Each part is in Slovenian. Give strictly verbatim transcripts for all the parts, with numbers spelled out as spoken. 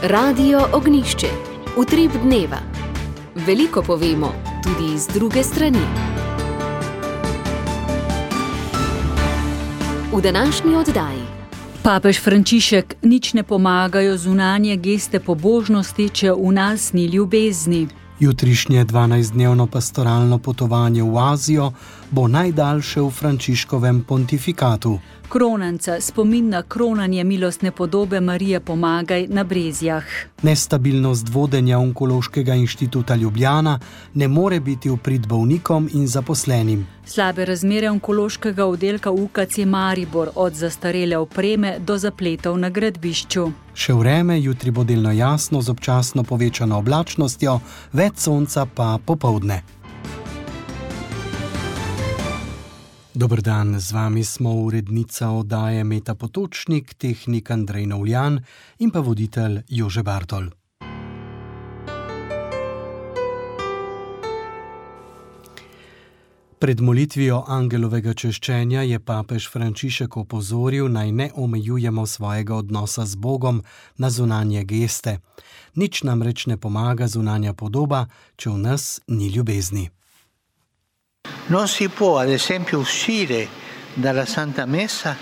Radio Ognjišče. Utrip dneva. Veliko povemo, tudi iz druge strani. V današnji oddaji. Papež Frančišek: nič ne pomagajo zunanje geste pobožnosti, če v nas ni ljubezni. Jutrišnje dvanajstdnevno pastoralno potovanje v Azijo bo najdaljše v Frančiškovem pontifikatu. Kronanca, spomin na kronanje milostne podobe Marije Pomagaj na Brezjah. Nestabilnost vodenja Onkološkega inštituta Ljubljana ne more biti v prid bolnikom in zaposlenim. Slabe razmere onkološkega oddelka U K C Maribor, od zastarele opreme do zapletov na gradbišču. Še vreme, jutri bo delno jasno z občasno povečano oblačnostjo, več sonca pa popoldne. Dober dan, z vami smo urednica oddaje Meta Potočnik, tehnik Andrej Novljan in pa voditelj Jože Bartol. Pred molitvijo angelovega češčenja je papež Frančišek opozoril, naj ne omejujemo svojega odnosa z Bogom na zunanje geste. Nič namreč ne pomaga zunanja podoba, če v nas ni ljubezni. Non si può, ad esempio, uscire dalla Santa Messa.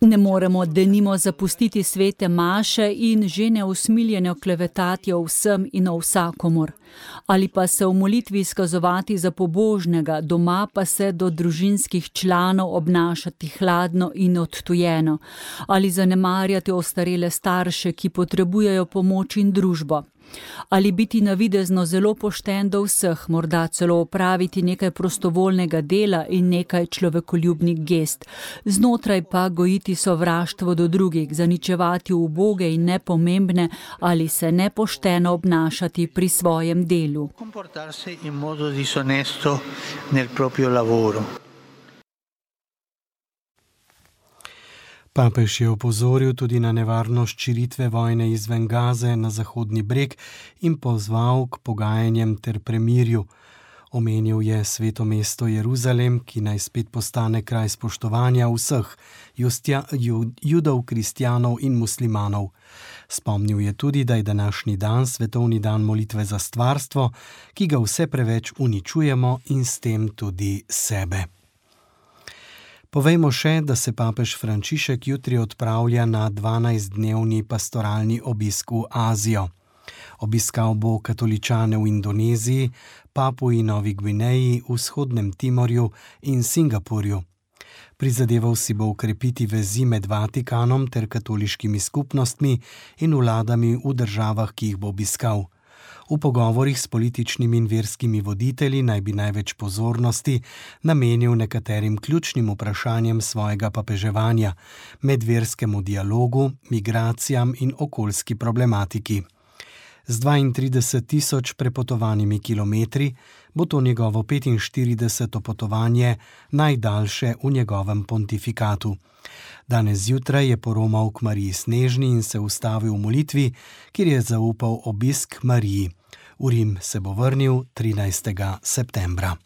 Ne moremo denimo zapustiti svete maše in že neusmiljeno klevetati o vsem in o vsakomur. Ali pa se v molitvi izkazovati za pobožnega, doma pa se do družinskih članov obnašati hladno in odtujeno. Ali zanemarjati ostarele starše, ki potrebujejo pomoč in družbo. Ali biti navidezno zelo pošten do vseh, morda celo opraviti nekaj prostovoljnega dela in nekaj človekoljubnih gest, znotraj pa gojiti sovraštvo do drugih, zaničevati uboge in nepomembne ali se nepošteno obnašati pri svojem delu. Comportarsi in modo disonesto nel proprio lavoro. Papež je opozoril tudi na nevarnost širitve vojne izven Gaze na Zahodni breg in pozval k pogajanjem ter premirju. Omenil je sveto mesto Jeruzalem, ki naj spet postane kraj spoštovanja vseh, justja, judov, kristjanov in muslimanov. Spomnil je tudi, da je današnji dan svetovni dan molitve za stvarstvo, ki ga vse preveč uničujemo in s tem tudi sebe. Povejmo še, da se papež Frančišek jutri odpravlja na dvanajstdnevni pastoralni obisk v Azijo. Obiskal bo katoličane v Indoneziji, Papuji Novi Gvineji, Vzhodnem Timorju in Singapurju. Prizadeval si bo ukrepiti vezi med Vatikanom ter katoliškimi skupnostmi in vladami v državah, ki jih bo obiskal. V pogovorih s političnimi in verskimi voditelji naj bi največ pozornosti namenil nekaterim ključnim vprašanjem svojega papeževanja, medverskemu dialogu, migracijam in okoljski problematiki. Z dvaintrideset tisoč prepotovanimi kilometri bo to njegovo petinštirideseto potovanje, najdaljše v njegovem pontifikatu. Danes zjutraj je poromal k Mariji Snežni in se ustavil v molitvi, kjer je zaupal obisk Mariji. V Rim se bo vrnil trinajstega septembra.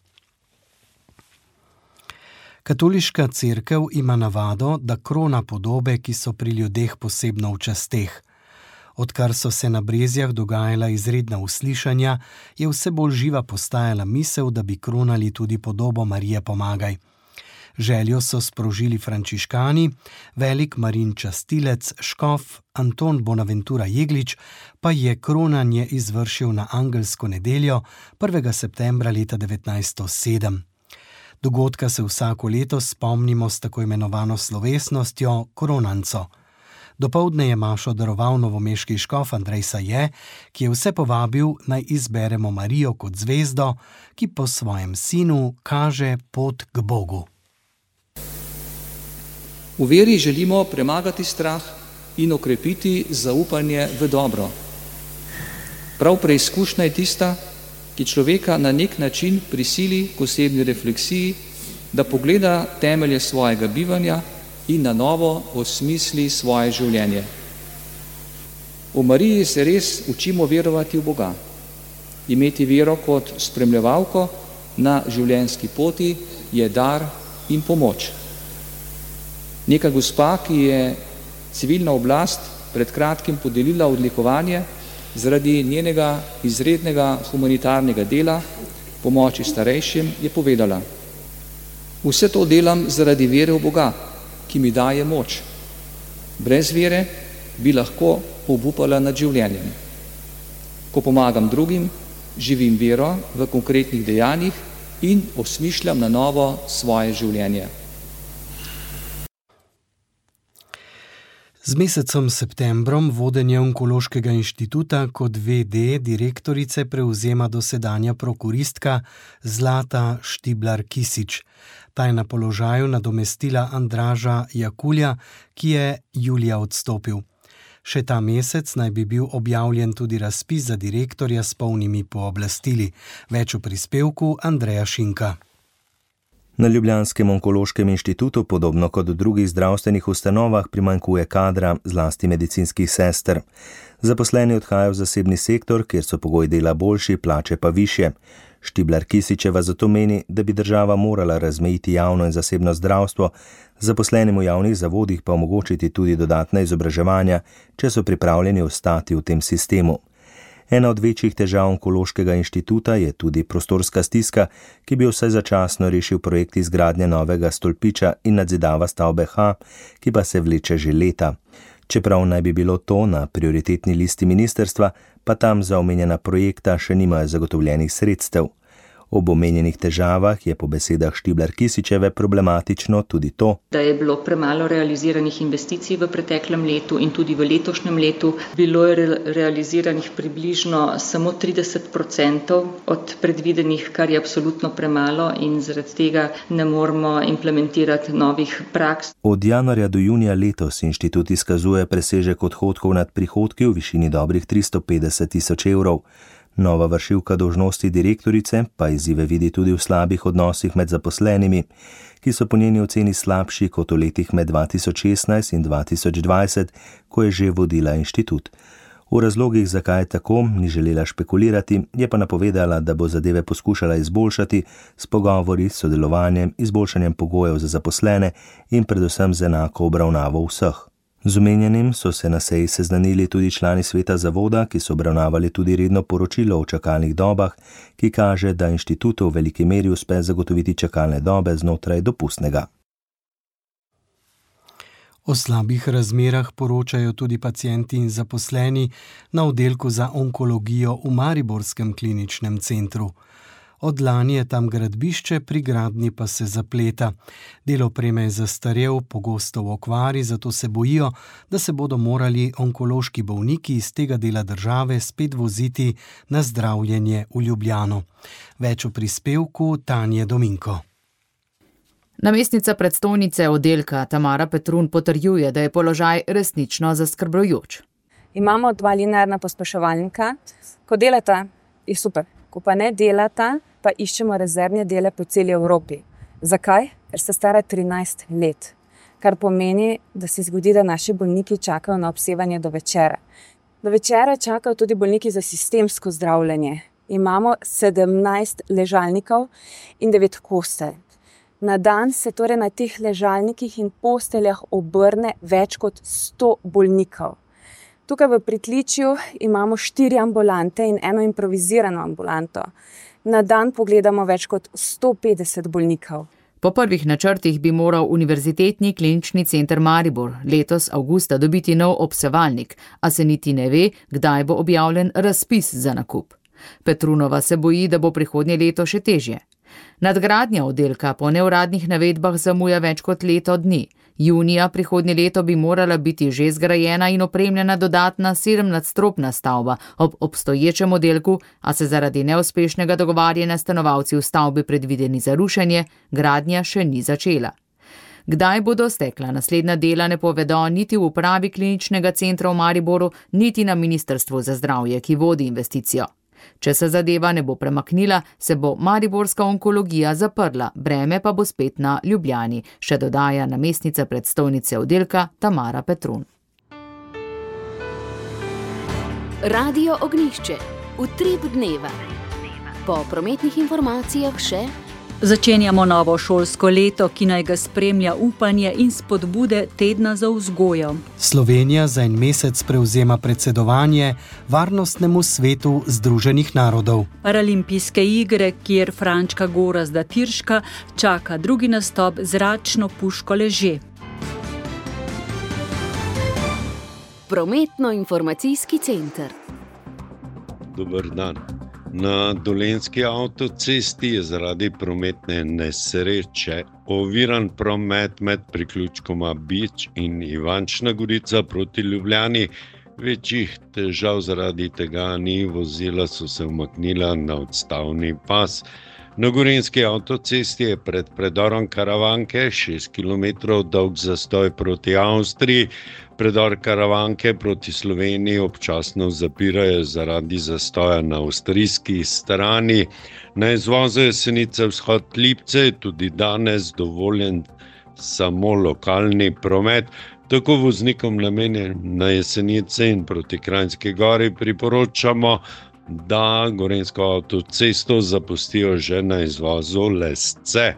Katoliška cerkev ima navado, da krona podobe, ki so pri ljudeh posebno v časteh. Odkar so se na Brezjah dogajala izredna uslišanja, je vse bolj živa postajala misel, da bi kronali tudi podobo Marije Pomagaj. Željo so sprožili frančiškani, velik Marin častilec, škof Anton Bonaventura Jeglič pa je kronanje izvršil na angelsko nedeljo prvega septembra leta devetnajststo sedem. Dogodka se vsako leto spomnimo s tako imenovano slovesnostjo kronanco. Dopoldne je mašo daroval novomeški škof Andrej Saje, ki je vse povabil, naj izberemo Marijo kot zvezdo, ki po svojem sinu kaže pot k Bogu. V veri želimo premagati strah in okrepiti zaupanje v dobro. Prav preizkušnja je tista, ki človeka na nek način prisili k osebni refleksiji, da pogleda temelje svojega bivanja in na novo osmisli svoje življenje. V Mariji se res učimo verovati v Boga, imeti vero kot spremljevalko na življenjski poti je dar in pomoč. Neka gospa, ki je civilna oblast pred kratkim podelila odlikovanje zaradi njenega izrednega humanitarnega dela, pomoči starejšim, je povedala: vse to delam zaradi vere v Boga, ki mi daje moč. Brez vere bi lahko obupala nad življenjem. Ko pomagam drugim, živim vero v konkretnih dejanjih in osmišljam na novo svoje življenje. Z mesecem septembrom vodenje Onkološkega inštituta kot ve de direktorice prevzema dosedanja prokuristka Zlata Štiblar Kisić. Ta je na položaju nadomestila Andraža Jakulja, ki je julija odstopil. Še ta mesec naj bi bil objavljen tudi razpis za direktorja s polnimi pooblastili. Več v prispevku Andreja Šinka. Na Ljubljanskem onkološkem inštitutu, podobno kot v drugih zdravstvenih ustanovah, primanjkuje kadra, zlasti medicinskih sester. Zaposleni odhajajo v zasebni sektor, kjer so pogoji dela boljši, plače pa višje. Štiblar Kisićeva zato meni, da bi država morala razmejiti javno in zasebno zdravstvo, zaposlenim v javnih zavodih pa omogočiti tudi dodatna izobraževanja, če so pripravljeni ostati v tem sistemu. Ena od večjih težav Onkološkega inštituta je tudi prostorska stiska, ki bi vsaj začasno rešil projekt izgradnje novega stolpiča in nadzidava stavbe H, ki pa se vleče že leta. Čeprav naj bi bilo to na prioritetni listi ministrstva, pa tam za omenjena projekta še nimajo zagotovljenih sredstev. Ob omenjenih težavah je po besedah Štiblar Kisićeve problematično tudi to, da je bilo premalo realiziranih investicij v preteklem letu in tudi v letošnjem letu. Bilo je re- realiziranih približno samo trideset procentov od predvidenih, kar je absolutno premalo in zaradi tega ne moremo implementirati novih praks. Od januarja do junija letos inštitut izkazuje presežek odhodkov nad prihodki v višini dobrih tristo petdeset tisoč evrov. Nova vršilka dolžnosti direktorice pa izzive vidi tudi v slabih odnosih med zaposlenimi, ki so po njeni oceni slabši kot v letih med dva tisoč šestnajst in dva tisoč dvajset, ko je že vodila inštitut. V razlogih, zakaj je tako, ni želela špekulirati, je pa napovedala, da bo zadeve poskušala izboljšati s pogovori, sodelovanjem, izboljšanjem pogojev za zaposlene in predvsem z enako obravnavo vseh. Z omenjenim so se na seji seznanili tudi člani sveta zavoda, ki so obravnavali tudi redno poročilo o čakalnih dobah, ki kaže, da inštitutu v veliki meri uspe zagotoviti čakalne dobe znotraj dopustnega. O slabih razmerah poročajo tudi pacienti in zaposleni na oddelku za onkologijo v Mariborskem kliničnem centru. Od lani je tam gradbišče, pri gradnji pa se zapleta. Del opreme je zastarel, pogosto v okvari, zato se bojijo, da se bodo morali onkološki bolniki iz tega dela države spet voziti na zdravljenje v Ljubljano. Več v prispevku Tanje Dominko. Namestnica predstojnice oddelka Tamara Petrun potrjuje, da je položaj resnično zaskrbljujoč. Imamo dva linearna pospeševalnika. Ko delata, je super. Ko pa ne delata, pa iščemo rezervne dele po celi Evropi. Zakaj? Ker sta stara trinajst let. Kar pomeni, da se zgodi, da naši bolniki čakajo na obsevanje do večera. Do večera čakajo tudi bolniki za sistemsko zdravljenje. Imamo sedemnajst ležalnikov in devet postelj. Na dan se torej na teh ležalnikih in posteljah obrne več kot sto bolnikov. Tukaj v pritličju imamo štiri ambulante in eno improvizirano ambulanto. Na dan pogledamo več kot sto petdeset bolnikov. Po prvih načrtih bi moral Univerzitetni klinični center Maribor letos avgusta dobiti nov obsevalnik, a se niti ne ve, kdaj bo objavljen razpis za nakup. Petrunova se boji, da bo prihodnje leto še težje. Nadgradnja oddelka po neuradnih navedbah zamuja več kot leto dni. Junija prihodnje leto bi morala biti že zgrajena in opremljena dodatna sedemnadstropna stavba ob obstoječem oddelku, a se zaradi neuspešnega dogovarjanja stanovalci v stavbi predvideni za rušenje, gradnja še ni začela. Kdaj bodo stekla naslednja dela, ne povedo niti v upravi kliničnega centra v Mariboru, niti na Ministrstvu za zdravje, ki vodi investicijo. Če se zadeva ne bo premaknila, se bo mariborska onkologija zaprla, breme pa bo spet na Ljubljani, še dodaja namestnica predstojnice oddelka Tamara Petrun. Radio Ognjišče. Utrip dneva. Po prometnih informacijah še Začenjamo novo šolsko leto, ki naj ga spremlja upanje in spodbude tedna za vzgojo. Slovenija za en mesec prevzema predsedovanje Varnostnemu svetu Združenih narodov. Paralimpijske igre, kjer Frančka Gorazda Tirška čaka drugi nastop zračno puško Leže. Prometno-informacijski center. Dober dan. Na Dolenjski avtocesti je zaradi prometne nesreče oviran promet med priključkoma Bič in Ivančna Gorica proti Ljubljani. Večjih težav zaradi tega ni, vozila so se umaknila na odstavni pas. Na Gorenjski avtocesti je pred predorom Karavanke šest kilometrov dolg zastoj proti Avstriji. Predor Karavanke proti Sloveniji občasno zapirajo zaradi zastoja na avstrijski strani. Na izvozu Jesenice vzhod Lipce je tudi danes dovoljen samo lokalni promet. Tako voznikom namenjen na Jesenice in proti Kranjski Gori priporočamo, da Gorenjsko avtocesto zapustijo že na izvozu Lesce.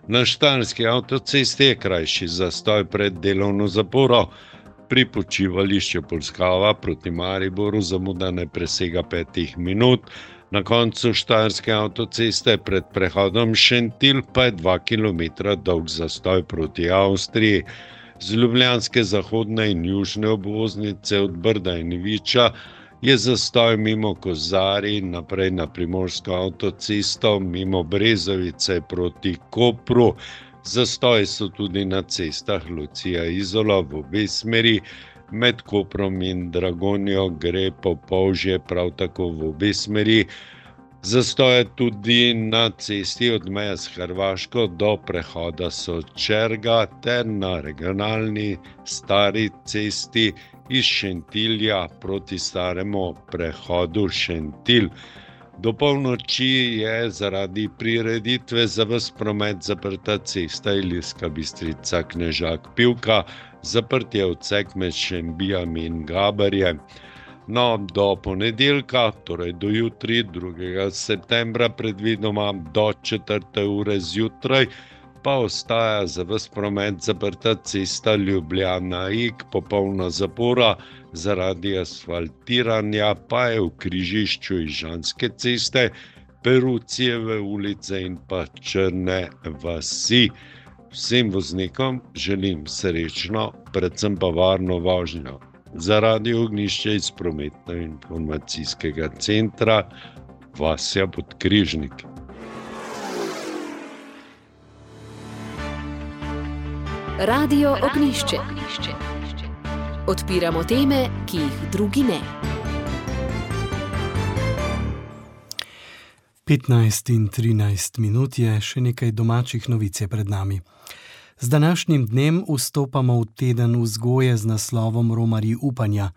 Na Štajerski avtocesti je krajši zastoj pred delovno zaporo. Pri počivališču Polskava proti Mariboru zamuda ne presega petih minut. Na koncu Štajerske avtoceste pred prehodom Šentilj pa je dva kilometra dolg zastoj proti Avstriji. Z ljubljanske zahodne in južne obvoznice od Brda in Viča je zastoj mimo Kozarij, naprej na Primorsko avtocesto, mimo Brezovice proti Kopru. Zastoji so tudi na cestah Lucija Izola v obe smeri, med Koprom in Dragonjo gre po Polžje prav tako v obe smeri. Zastoje tudi na cesti od meje s Hrvaško do prehoda Sočerga ter na regionalni stari cesti iz Šentilja proti staremu prehodu Šentilj. Do polnoči je zaradi prireditve za ves promet zaprta cesta Ilirska Bistrica Knežak Pivka, zaprt je odsek med Šembijami in Gaberjem. No, do ponedeljka, torej do jutri, drugega septembra, predvidoma do četrte ure zjutraj, pa ostaja za ves promet zaprta cesta Ljubljana-Ig, popolna zapora zaradi asfaltiranja, pa je v križišču Ižanske ceste, Perucijeve ulice in pa Črne vasi. Vsem voznikom želim srečno, predvsem pa varno vožnjo. Za Radio Ognjišče iz Prometno-informacijskega centra Vasja Podkrižnik. Radio Ognjišče. Odpiramo teme, ki jih drugi ne. petnajst in trinajst minut je, še nekaj domačih novic je pred nami. Z današnjim dnem vstopamo v teden vzgoje z naslovom Romarji upanja.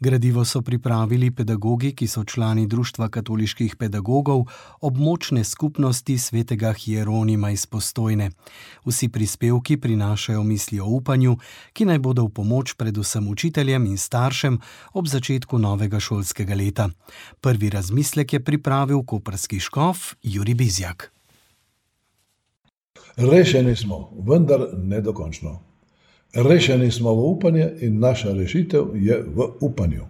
Gradivo so pripravili pedagogi, ki so člani Društva katoliških pedagogov območne skupnosti svetega Hieronima iz Postojne. Vsi prispevki prinašajo misli o upanju, ki naj bodo v pomoč predvsem učiteljem in staršem ob začetku novega šolskega leta. Prvi razmislek je pripravil koprski škof Jurij Bizjak. Rešeni smo, vendar ne dokončno. Rešeni smo v upanje in naša rešitev je v upanju.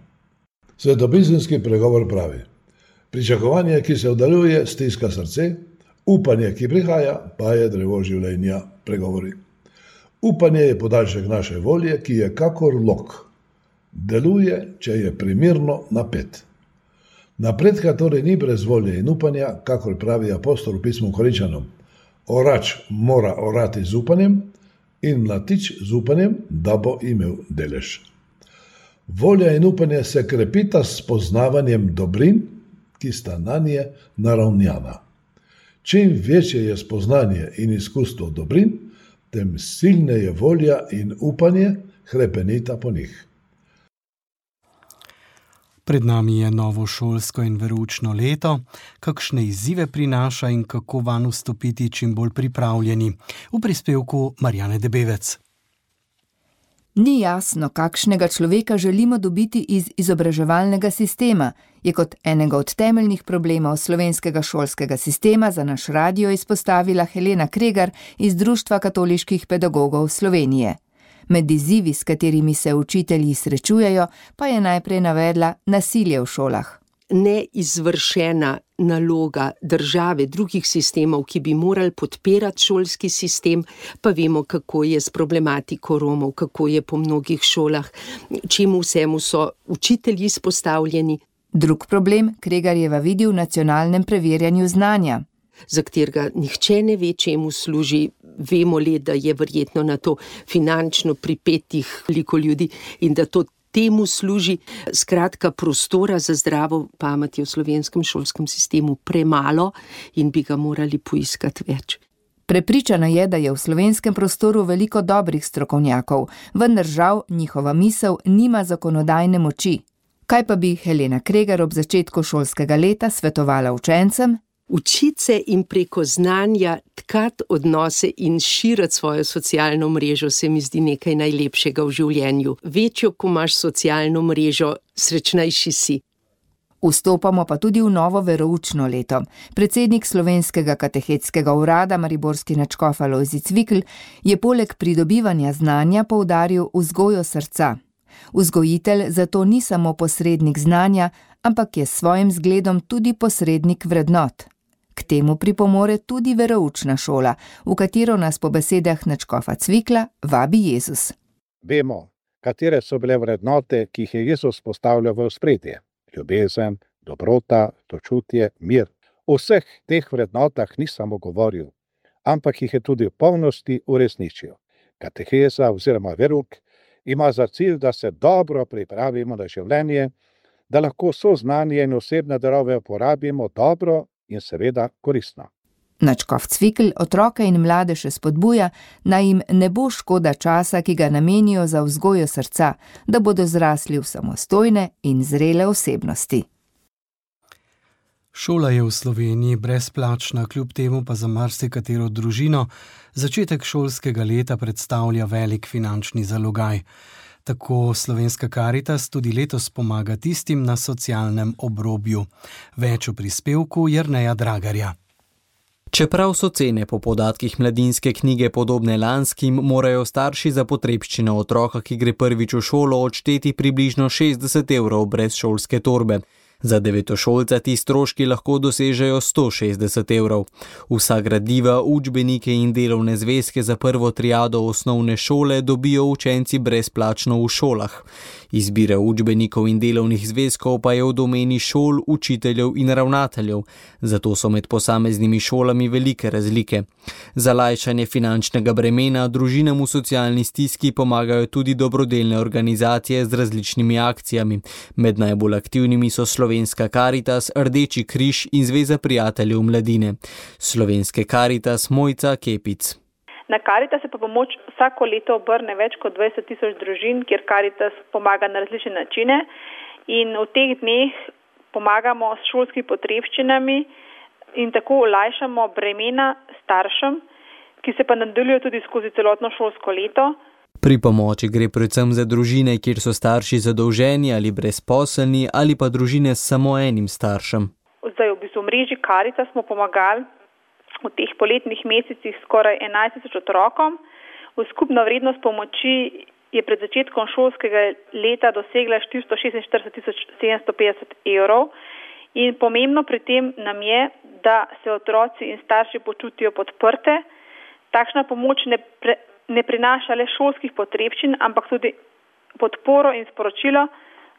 Svetopisemski pregovor pravi: pričakovanje, ki se oddaljuje, stiska srce, upanje, ki prihaja, pa je drevo življenja, pregovori. Upanje je podaljšek naše volje, ki je kakor lok. Deluje, če je primirno napet. Napredka torej ni brez volje in upanja, kakor pravi apostol v pismu Korinčanom. Orač mora orati z upanjem in mlatič z upanjem, da bo imel delež. Volja in upanje se krepita s poznavanjem dobrin, ki sta nanje naravnjana. Čim večje je spoznanje in izkustvo dobrin, tem silneje volja in upanje hrepenita po njih. Pred nami je novo šolsko in veroučno leto. Kakšne izzive prinaša in kako vanj vstopiti čim bolj pripravljeni? V prispevku Marjane Debevec. Ni jasno, kakšnega človeka želimo dobiti iz izobraževalnega sistema, je kot enega od temeljnih problemov slovenskega šolskega sistema za naš radio izpostavila Helena Kregar iz Društva katoliških pedagogov Slovenije. Med izzivi, s katerimi se učitelji srečujejo, pa je najprej navedla nasilje v šolah. Neizvršena naloga države, drugih sistemov, ki bi morali podpirati šolski sistem, pa vemo, kako je s problematiko Romov, kako je po mnogih šolah, čemu vsemu so učitelji izpostavljeni. Drug problem Kregarjeva vidi v nacionalnem preverjanju znanja, za katerega nihče ne ve, čemu služi. Vemo le, da je verjetno na to finančno pripetih veliko ljudi in da to temu služi. Skratka, prostora za zdravo pamet je v slovenskem šolskem sistemu premalo in bi ga morali poiskati več. Prepričana je, da je v slovenskem prostoru veliko dobrih strokovnjakov, vendar žal njihova misel nima zakonodajne moči. Kaj pa bi Helena Kregar ob začetku šolskega leta svetovala učencem? Učiti se in preko znanja tkati odnose in širiti svojo socialno mrežo se mi zdi nekaj najlepšega v življenju. Večjo, ko imaš socialno mrežo, srečnejši si. Vstopamo pa tudi v novo veroučno leto. Predsednik Slovenskega katehetskega urada, mariborski nadškof Alojzij Cvikl, je poleg pridobivanja znanja poudaril vzgojo srca. Vzgojitelj zato ni samo posrednik znanja, ampak je s svojim zgledom tudi posrednik vrednot. K temu pripomore tudi veroučna šola, v katero nas po besedah nadškofa Cvikla vabi Jezus. Vemo, katere so bile vrednote, ki jih je Jezus postavljal v ospredje. Ljubezen, dobrota, sočutje, mir. O vseh teh vrednotah ni samo govoril, ampak jih je tudi v polnosti uresničil. Kateheza oziroma verouk ima za cilj, da se dobro pripravimo na življenje, da lahko vso znanje in osebne darove uporabimo dobro in seveda koristno. Nadškof Cvikl otroke in mlade še spodbuja, naj jim ne bo škoda časa, ki ga namenijo za vzgojo srca, da bodo zrasli v samostojne in zrele osebnosti. Šola je v Sloveniji brezplačna, kljub temu pa za marsikatero družino začetek šolskega leta predstavlja velik finančni zalogaj. Tako Slovenska Karitas tudi letos pomaga tistim na socialnem obrobju. Več v prispevku Jerneja Dragarja. Čeprav so cene po podatkih Mladinske knjige podobne lanskim, morajo starši za potrebščine otroka, ki gre prvič v šolo, odšteti približno šestdeset evrov brez šolske torbe. Za devetošolca ti stroški lahko dosežejo sto šestdeset evrov. Vsa gradiva, učbenike in delovne zvezke za prvo triado osnovne šole dobijo učenci brezplačno v šolah. Izbira učbenikov in delovnih zvezkov pa je v domeni šol, učiteljev in ravnateljev, zato so med posameznimi šolami velike razlike. Za lajšanje finančnega bremena družinam v socialni stiski pomagajo tudi dobrodelne organizacije z različnimi akcijami. Med najbolj aktivnimi so Slovenska Karitas, Rdeči križ in Zveza prijateljev mladine. Slovenske Karitas Mojca Kepic. Na Karitas se pa pomoč vsako leto obrne več kot dvajset tisoč družin, kjer Karitas pomaga na različne načine in v teh dneh pomagamo s šolskimi potrebščinami in tako olajšamo bremena staršem, ki se pa nadaljujejo tudi skozi celotno šolsko leto. Pri pomoči gre predvsem za družine, kjer so starši zadolženi ali brezposelni ali pa družine s samo enim staršem. Zdaj v bistvu v mreži Karitas smo pomagali v teh poletnih mesecih skoraj enajst tisoč otrokom. V skupna vrednost pomoči je pred začetkom šolskega leta dosegla štiristo šestinštirideset tisoč sedemsto petdeset evrov in pomembno pri tem nam je, da se otroci in starši počutijo podprte. Takšna pomoč ne, pre, ne prinaša le šolskih potrebščin, ampak tudi podporo in sporočilo,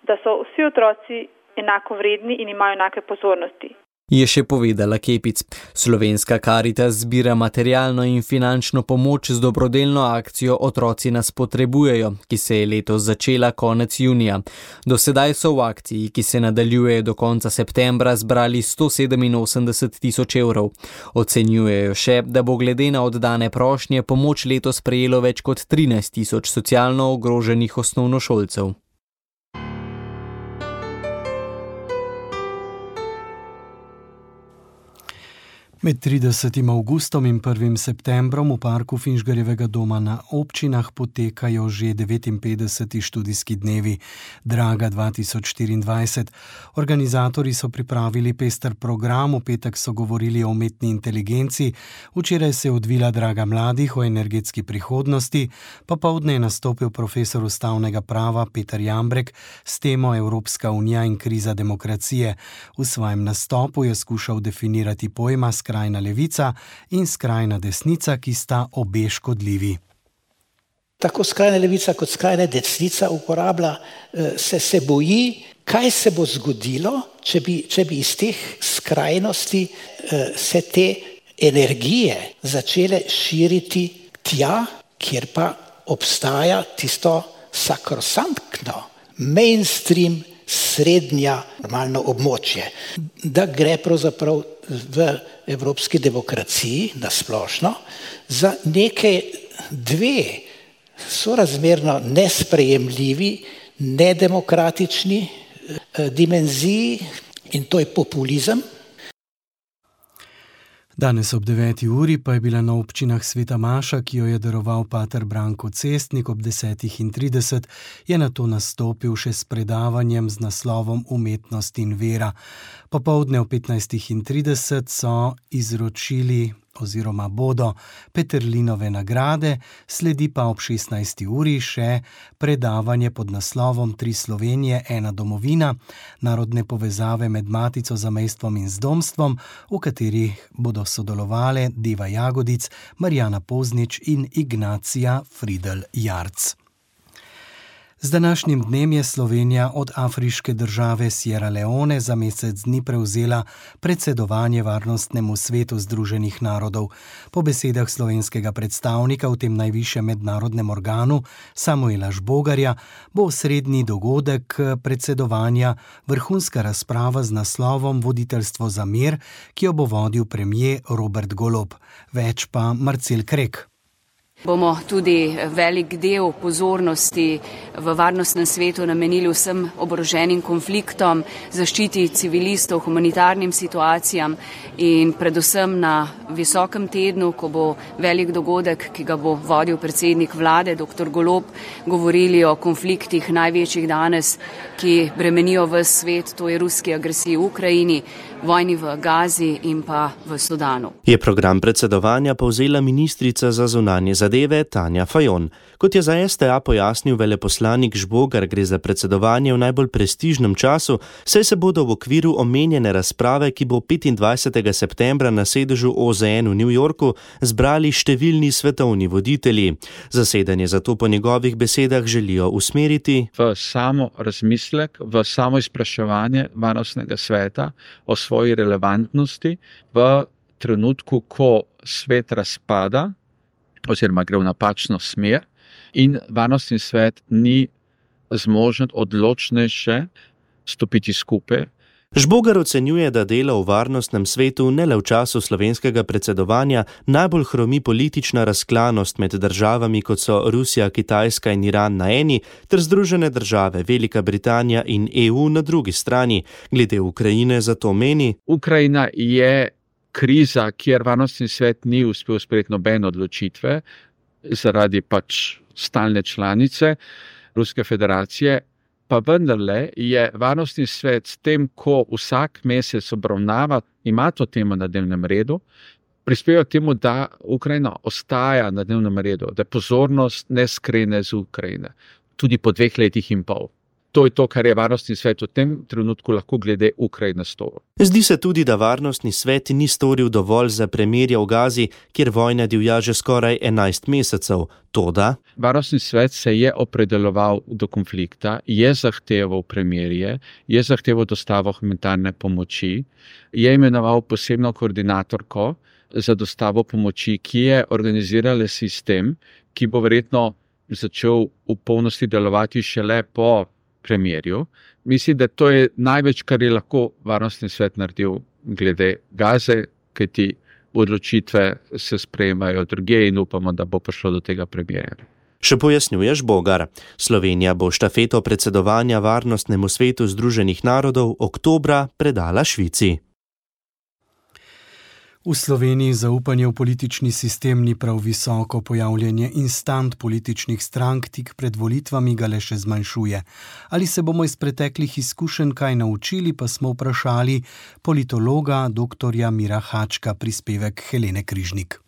da so vsi otroci enako vredni in imajo enake pozornosti. Je še povedala Kepic. Slovenska Karitas zbira materialno in finančno pomoč z dobrodelno akcijo Otroci nas potrebujejo, ki se je letos začela konec junija. Do sedaj so v akciji, ki se nadaljuje do konca septembra, zbrali sto sedeminosemdeset tisoč evrov. Ocenjujejo še, da bo glede na oddane prošnje pomoč letos prejelo več kot trinajst tisoč socialno ogroženih osnovnošolcev. Med tridesetim avgustom in prvim septembrom v parku Finžgarjevega doma na občinah potekajo že devetinpetdeseti študijski dnevi Draga dva tisoč štiriindvajset. Organizatorji so pripravili pester program, v petek so govorili o umetni inteligenci, včeraj se je odvila Draga mladih o energetski prihodnosti, popoldne je nastopil profesor ustavnega prava Peter Jambrek s temo Evropska unija in kriza demokracije. V svojem nastopu je skušal definirati pojma skrajna levica in skrajna desnica, ki sta obe škodljivi. Tako skrajna levica kot skrajna desnica uporablja, se, se boji, kaj se bo zgodilo, če bi, če bi iz teh skrajnosti se te energije začele širiti tja, kjer pa obstaja tisto sakrosantno, mainstream, srednja normalno območje. Da gre pravzaprav v evropski demokraciji nasplošno za neke dve sorazmerno nesprejemljivi, nedemokratični dimenziji, in to je populizem. Danes ob deveti uri pa je bila na občinah Sveta Maša, ki jo je daroval pater Branko Cestnik ob desetih in trideset, je nato nastopil še s predavanjem z naslovom Umetnost in vera. Popoldne ob petnajstih in trideset so izročili oziroma bodo Peterlinove nagrade, sledi pa ob šestnajsti uri še predavanje pod naslovom Tri Slovenije, ena domovina, narodne povezave med Matico, zamejstvom in zdomstvom, v katerih bodo sodelovale Deva Jagodic, Marjana Poznič in Ignacija Fridl Jarc. Z današnjim dnem je Slovenija od afriške države Sierra Leone za mesec dni prevzela predsedovanje Varnostnemu svetu Združenih narodov. Po besedah slovenskega predstavnika v tem najvišjem mednarodnem organu, Samuela Žbogarja, bo osrednji dogodek predsedovanja vrhunska razprava z naslovom Voditeljstvo za mir, ki jo bo vodil premier Robert Golob. Več pa Marcel Krek. Bomo tudi velik del pozornosti v varnostnem svetu namenili vsem oboroženim konfliktom, zaščiti civilistov, humanitarnim situacijam in predvsem na visokem tednu, ko bo velik dogodek, ki ga bo vodil predsednik vlade, doktor Golob, govorili o konfliktih največjih danes, ki bremenijo ves svet, to je ruski agresiji v Ukrajini, vojni v Gazi in pa v Sudanu. Je program predsedovanja povzela ministrica za zunanje zadeve Tanja Fajon. Kot je za S T A pojasnil veleposlanik Žbogar, gre za predsedovanje v najbolj prestižnem času, saj se bodo v okviru omenjene razprave, ki bo petindvajsetega septembra na sedežu O Z N v New Yorku, zbrali številni svetovni voditelji. Zasedanje zato po njegovih besedah želijo usmeriti v samo razmislek, v samo izpraševanje varnostnega sveta o svoji relevantnosti v trenutku, ko svet razpada oziroma gre v napačno smer in varnostni svet ni zmožen odločnejše stopiti skupaj. Žbogar ocenjuje, da delo v varnostnem svetu ne le v času slovenskega predsedovanja najbolj hromi politična razklanost med državami, kot so Rusija, Kitajska in Iran na eni, ter Združene države, Velika Britanija in E U na drugi strani. Glede Ukrajine zato meni: Ukrajina je kriza, kjer varnostni svet ni uspel sprejeti nobene odločitve zaradi pač stalne članice Ruske federacije, pa vendarle je varnostni svet s tem, ko vsak mesec obravnava, ima to temo na dnevnem redu, prispeva k temu, da Ukrajina ostaja na dnevnem redu, da pozornost ne skrene z Ukrajine, tudi po dveh letih in pol. To je to, kar je varnostni svet v tem trenutku lahko glede Ukrajine storil. Zdi se tudi, da varnostni svet ni storil dovolj za premirje v Gazi, kjer vojna divja že skoraj enajst mesecev. Toda varnostni svet se je opredeloval do konflikta, je zahteval premirje, je zahteval dostavo humanitarne pomoči, je imenoval posebno koordinatorko za dostavo pomoči, ki je organizirala sistem, ki bo verjetno začel v polnosti delovati šele po premirju. Mislim, da to je največ, kar je lahko varnostni svet naredil glede Gaze, kajti odločitve se sprejemajo drugje in upamo, da bo prišlo do tega premirja. Še pojasnjuje Žbogar. Slovenija bo štafeto predsedovanja Varnostnemu svetu Združenih narodov oktobra predala Švici. V Sloveniji zaupanje v politični sistem ni prav visoko, pojavljanje instant političnih strank tik pred volitvami ga le še zmanjšuje. Ali se bomo iz preteklih izkušenj kaj naučili, pa smo vprašali politologa doktorja Mira Hačka, prispevek Helene Križnik.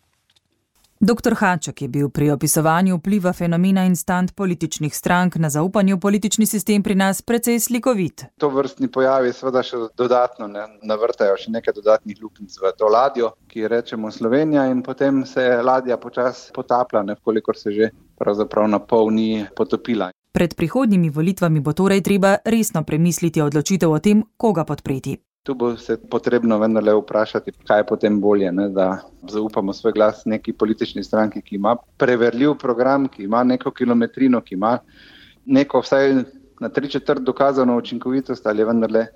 Doktor Haček je bil pri opisovanju vpliva fenomena instant političnih strank na zaupanje v politični sistem pri nas precej slikovit. To vrstni pojavi seveda še dodatno ne, navrtajo še nekaj dodatnih luknjic v to ladjo, ki rečemo Slovenija, in potem se ladja počasi potapla, ne, kolikor se že pravzaprav na pol ni potopila. Pred prihodnjimi volitvami bo torej treba resno premisliti odločitev o tem, koga podpreti. Tu bo se potrebno vendarle vprašati, kaj je potem bolje, ne, da zaupamo svoj glas neki politični stranki, ki ima preverljiv program, ki ima neko kilometrino, ki ima neko vsaj na tri četrt dokazano učinkovitost, ali je vendarle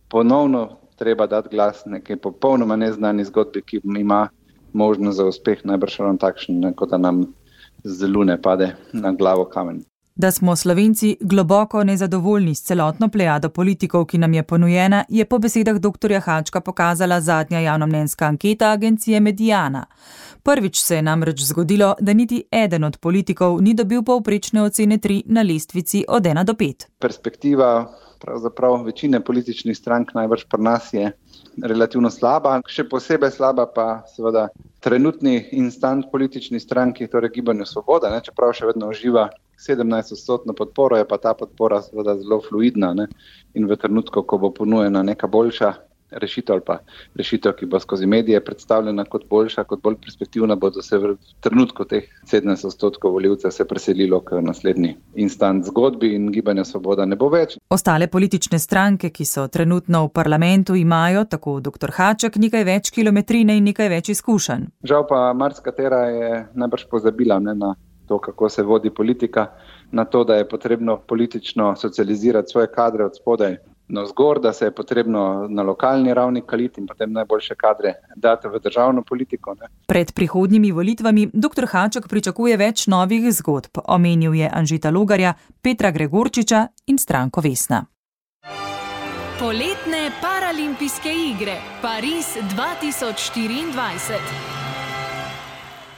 ponovno treba dati glas neki popolnoma neznani zgodbi, ki ima možnost za uspeh, najbrž ravno takšen, kot da nam z lune pade na glavo kamen. Da smo Slovenci globoko nezadovoljni s celotno plejado politikov, ki nam je ponujena, je po besedah doktorja Hačka pokazala zadnja javnomnenjska anketa agencije Mediana. Prvič se je namreč zgodilo, da niti eden od politikov ni dobil povprečne ocene tri na lestvici od ena do pet. Perspektiva pravzaprav večine političnih strank najbrž pri nas je relativno slaba, še posebej slaba pa seveda trenutni instant politični stranki, torej Gibanju Svoboda, ne, čeprav še vedno uživa sedemnajst odstotno podporo, je pa ta podpora seveda zelo fluidna, ne, in v trenutku, ko bo ponujena neka boljša rešitev ali pa rešitev, ki bo skozi medije predstavljena kot boljša, kot bolj perspektivna, bodo se v trenutku teh sedemnajst odstotkov volivcev se preselilo k naslednji instant zgodbi in Gibanja Svoboda ne bo več. Ostale politične stranke, ki so trenutno v parlamentu, imajo, tako doktor Haček, nekaj več kilometrine in nekaj več izkušenj. Žal pa marsikatera je najbrž pozabila, ne, na to, kako se vodi politika, na to, da je potrebno politično socializirati svoje kadre od spodaj navzgor, da se je potrebno na lokalni ravni kaliti in potem najboljše kadre dati v državno politiko. Ne. Pred prihodnjimi volitvami doktor Haček pričakuje več novih zgodb. Omenil je Anžeta Logarja, Petra Gregorčiča in stranko Vesna. Poletne paralimpijske igre Pariz dva tisoč štiriindvajset.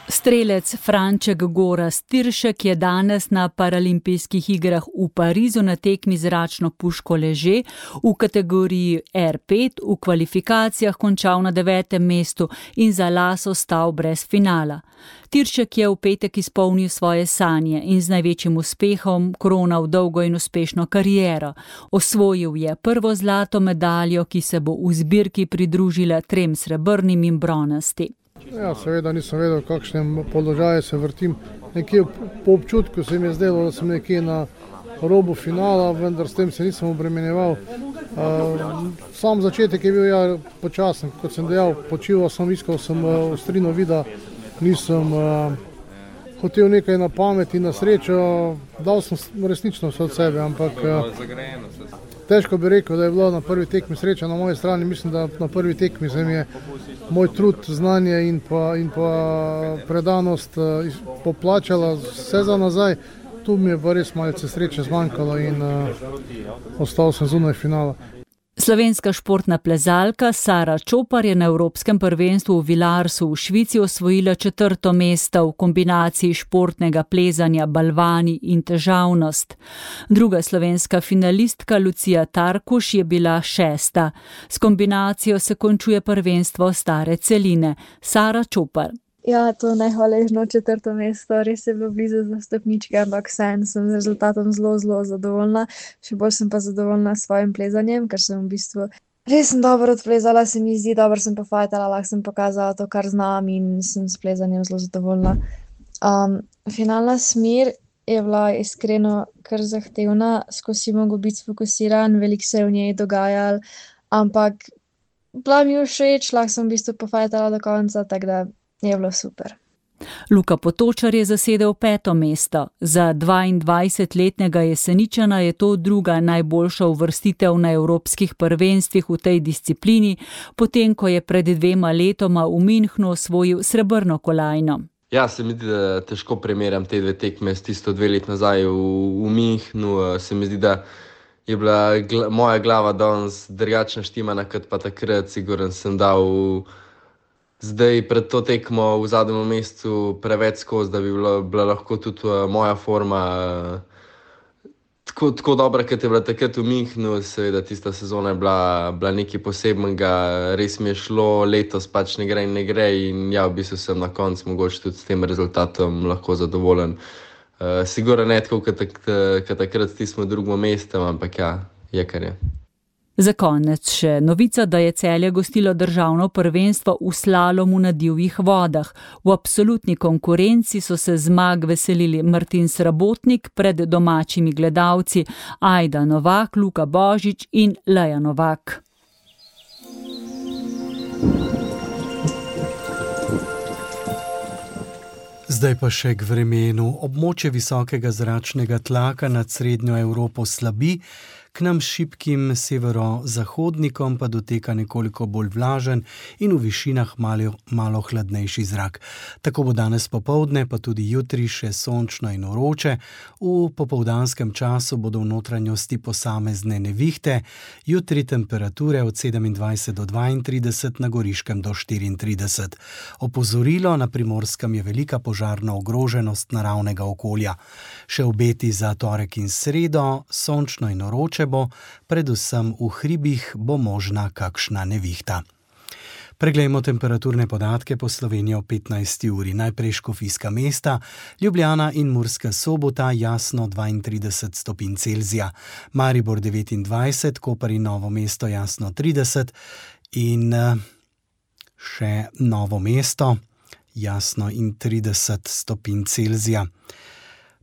Strelec Franček Gorazd Tiršek je danes na paralimpijskih igrah v Parizu na tekmi zračno puško leže v kategoriji er pet v kvalifikacijah končal na devetem mestu in za las ostal brez finala. Tiršek je v petek izpolnil svoje sanje in z največjim uspehom koronal dolgo in uspešno kariero. Osvojil je prvo zlato medaljo, ki se bo v zbirki pridružila trem srebrnim in bronasti. Ja, seveda nisem vedel, v kakšnem položaju se vrtim. Nekje po občutku se mi je zdelo, da sem nekje na robu finala, vendar s tem se nisem obremenjeval. Sam začetek je bil ja počasen, kot sem dejal, počival sem, iskal sem ostrino vida, nisem hotel nekaj na pamet in na srečo, dal sem resnično vse od sebe, ampak težko bi rekel, da je bilo na prvi tekmi sreča na moji strani. Mislim, da na prvi tekmi se mi je moj trud, znanje in pa, in pa predanost poplačala vse za nazaj. Tu mi je pa res malce sreče zmanjkalo in uh, ostal sem zunaj finala. Slovenska športna plezalka Sara Čopar je na Evropskem prvenstvu v Vilarsu v Švici osvojila četrto mesto v kombinaciji športnega plezanja, balvani in težavnost. Druga slovenska finalistka Lucija Tarkuš je bila šesta. S kombinacijo se končuje prvenstvo stare celine. Sara Čopar. Ja, to najhvaležno četrto mesto, res je bilo blizu za stopničke, ampak vseeno sem z rezultatom zelo, zelo zadovoljna. Še bolj sem pa zadovoljna s svojim plezanjem, ker sem v bistvu res sem dobro odplezala, se mi zdi, dobro sem pofajtala, lahko sem pokazala to, kar znam in sem s plezanjem zelo zadovoljna. Um, finalna smer je bila iskreno kar zahtevna, skozi mogo biti sfokusiran, veliko se je v njej dogajalo, ampak bila mi všeč, lahko sem v bistvu pofajtala do konca, tako da je bilo super. Luka Potočar je zasedel peto mesto. Za dvaindvajsetletnega Jeseničana je to druga najboljša uvrstitev na evropskih prvenstvih v tej disciplini, potem ko je pred dvema letoma v Münchnu osvojil srebrno kolajno. Ja, se mi zdi, da težko primerjam te dve tekme s tisto dve let nazaj v, v Münchnu. Se mi zdi, da je bila gla, moja glava danes drugačna štimana, kot pa takrat. Siguren sem dal zdaj pred to tekmo v zadnjem mesecu preveč skozi, da bi bila, bila lahko tudi moja forma tako, tako dobra, kot je bila takrat v Münchnu. Seveda tista sezona je bila, bila nekaj posebnega, res mi je šlo, letos pač ne gre in ne gre in ja, v bistvu sem na koncu mogoče tudi s tem rezultatom lahko zadovoljen. Uh, sigurno ne tako, kot takrat stismo v drugem mestu, ampak ja, je kar je. Za konec še novica, da je Celje gostilo državno prvenstvo v slalomu na divjih vodah. V absolutni konkurenci so se zmag veselili Martin Srabotnik pred domačimi gledalci, Ajda Novak, Luka Božič in Leja Novak. Zdaj pa še k vremenu. Območje visokega zračnega tlaka nad srednjo Evropo slabi, k nam šibkim severozahodnikom pa doteka nekoliko bolj vlažen in v višinah malo, malo hladnejši zrak. Tako bo danes popoldne, pa tudi jutri še sončno in vroče. V popoldanskem času bodo v notranjosti posamezne nevihte, jutri temperature od sedemindvajset do dvaintrideset, na Goriškem do štiriintrideset. Opozorilo, na Primorskem je velika požarna ogroženost naravnega okolja. Še obeti za torek in sredo, sončno in vroče bo, predvsem v hribih bo možna kakšna nevihta. Preglejmo temperaturne podatke po Sloveniji o petnajsti uri. Najprej Škofijska mesta, Ljubljana in Murska Sobota, jasno dvaintrideset stopinj Celzija, Maribor devetindvajset, Koper in Novo mesto jasno trideset in še Novo mesto, jasno in trideset stopinj Celzija.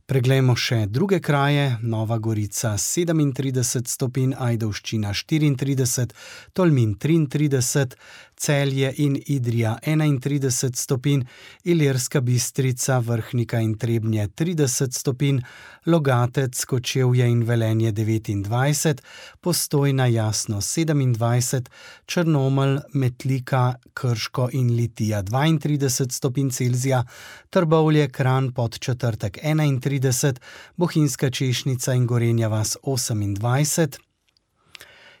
Preglejmo še druge kraje, Nova Gorica sedemintrideset stopinj, Ajdovščina štiriintrideset, Tolmin triintrideset, Celje in Idrija enaintrideset stopinj, Ilirska Bistrica, Vrhnika in Trebnje trideset stopinj, Logatec, Kočevje in Velenje devetindvajset, Postojna jasno sedemindvajset, Črnomelj, Metlika, Krško in Litija dvaintrideset stopinj Celzija, Trbovlje, Kranj, Podčetrtek enaintrideset, Bohinjska Češnica in Gorenja vas osemindvajset,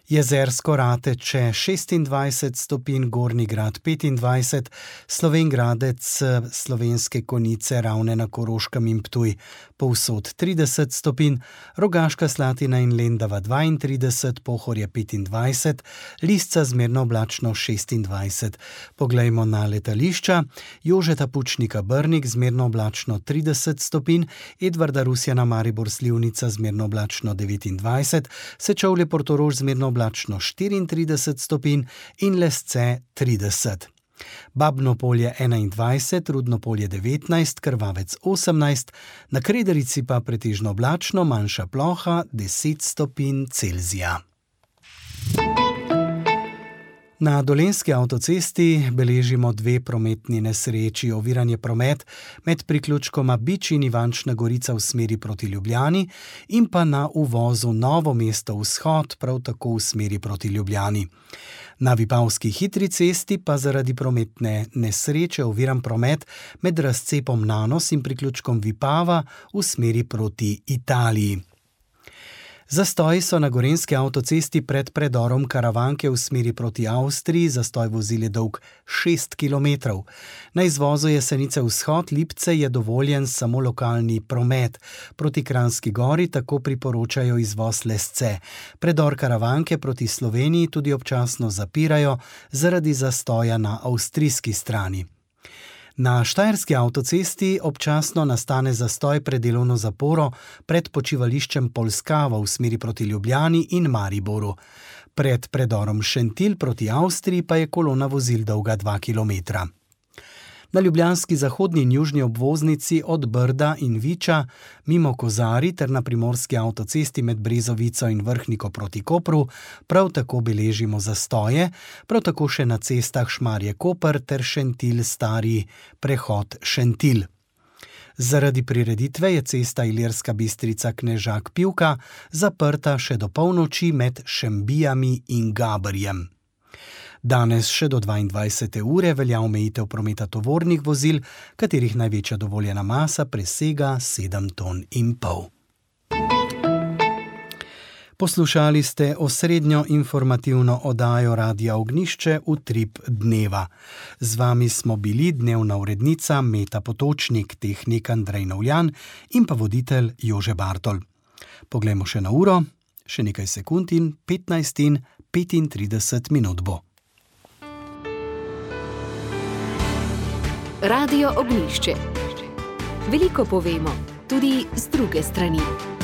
Jezersko Rateče šestindvajset stopinj, Gornji Grad petindvajset, Slovenj Gradec, Slovenske Konjice, Ravne na Koroškem in Ptuj povsod trideset stopinj, Rogaška Slatina in Lendava dvaintrideset, Pohorje petindvajset, Lisca zmerno oblačno šestindvajset. Poglejmo na letališča, Jožeta Pučnika Brnik zmerno oblačno trideset stopinj, Edvarda Rusjana Maribor Slivnica zmerno oblačno devetindvajset, Sečovlje Portorož zmerno oblačno štiriintrideset stopinj in Lesce trideset. Babno Polje enaindvajset, Rudno Polje devetnajst, Krvavec osemnajst, na Krederici pa pretežno oblačno, manjša ploha deset stopinj Celzija. Na Dolenjski avtocesti beležimo dve prometni nesreči. Oviran je promet med priključkoma Bič in Ivančna Gorica v smeri proti Ljubljani in pa na uvozu Novo mesto vzhod, prav tako v smeri proti Ljubljani. Na Vipavski hitri cesti pa zaradi prometne nesreče oviran promet med razcepom Nanos in priključkom Vipava v smeri proti Italiji. Zastoji so na Gorenjski avtocesti pred predorom Karavanke v smeri proti Avstriji, zastoj vozil je dolg šest kilometrov. Na izvozu Jesenice vzhod Lipce je dovoljen samo lokalni promet. Proti Kranjski Gori tako priporočajo izvoz Lesce. Predor Karavanke proti Sloveniji tudi občasno zapirajo zaradi zastoja na avstrijski strani. Na Štajerski avtocesti občasno nastane zastoj pred delovno zaporo pred počivališčem Polskava v smeri proti Ljubljani in Mariboru. Pred predorom Šentilj proti Avstriji pa je kolona vozil dolga dva kilometra. Na ljubljanski zahodni in južni obvoznici od Brda in Viča mimo Kozari ter na primorski avtocesti med Brezovico in Vrhniko proti Kopru prav tako beležimo zastoje, prav tako še na cestah Šmarje-Koper ter Šentilj stari prehod Šentilj. Zaradi prireditve je cesta Ilirska Bistrica Knežak-Pivka zaprta še do polnoči med Šembijami in Gabrjem. Danes še do dvaindvajsete ure velja omejitev prometa tovornih vozil, katerih največja dovoljena masa presega sedem ton in pol. Poslušali ste osrednjo informativno oddajo Radia Ognjišče Utrip dneva. Z vami smo bili dnevna urednica Meta Potočnik, tehnik Andrej Novljan in pa voditelj Jože Bartol. Poglejmo še na uro, še nekaj sekund in petnajst in petintrideset minut bo. Radio Ognjišče. Veliko povemo, tudi z druge strani.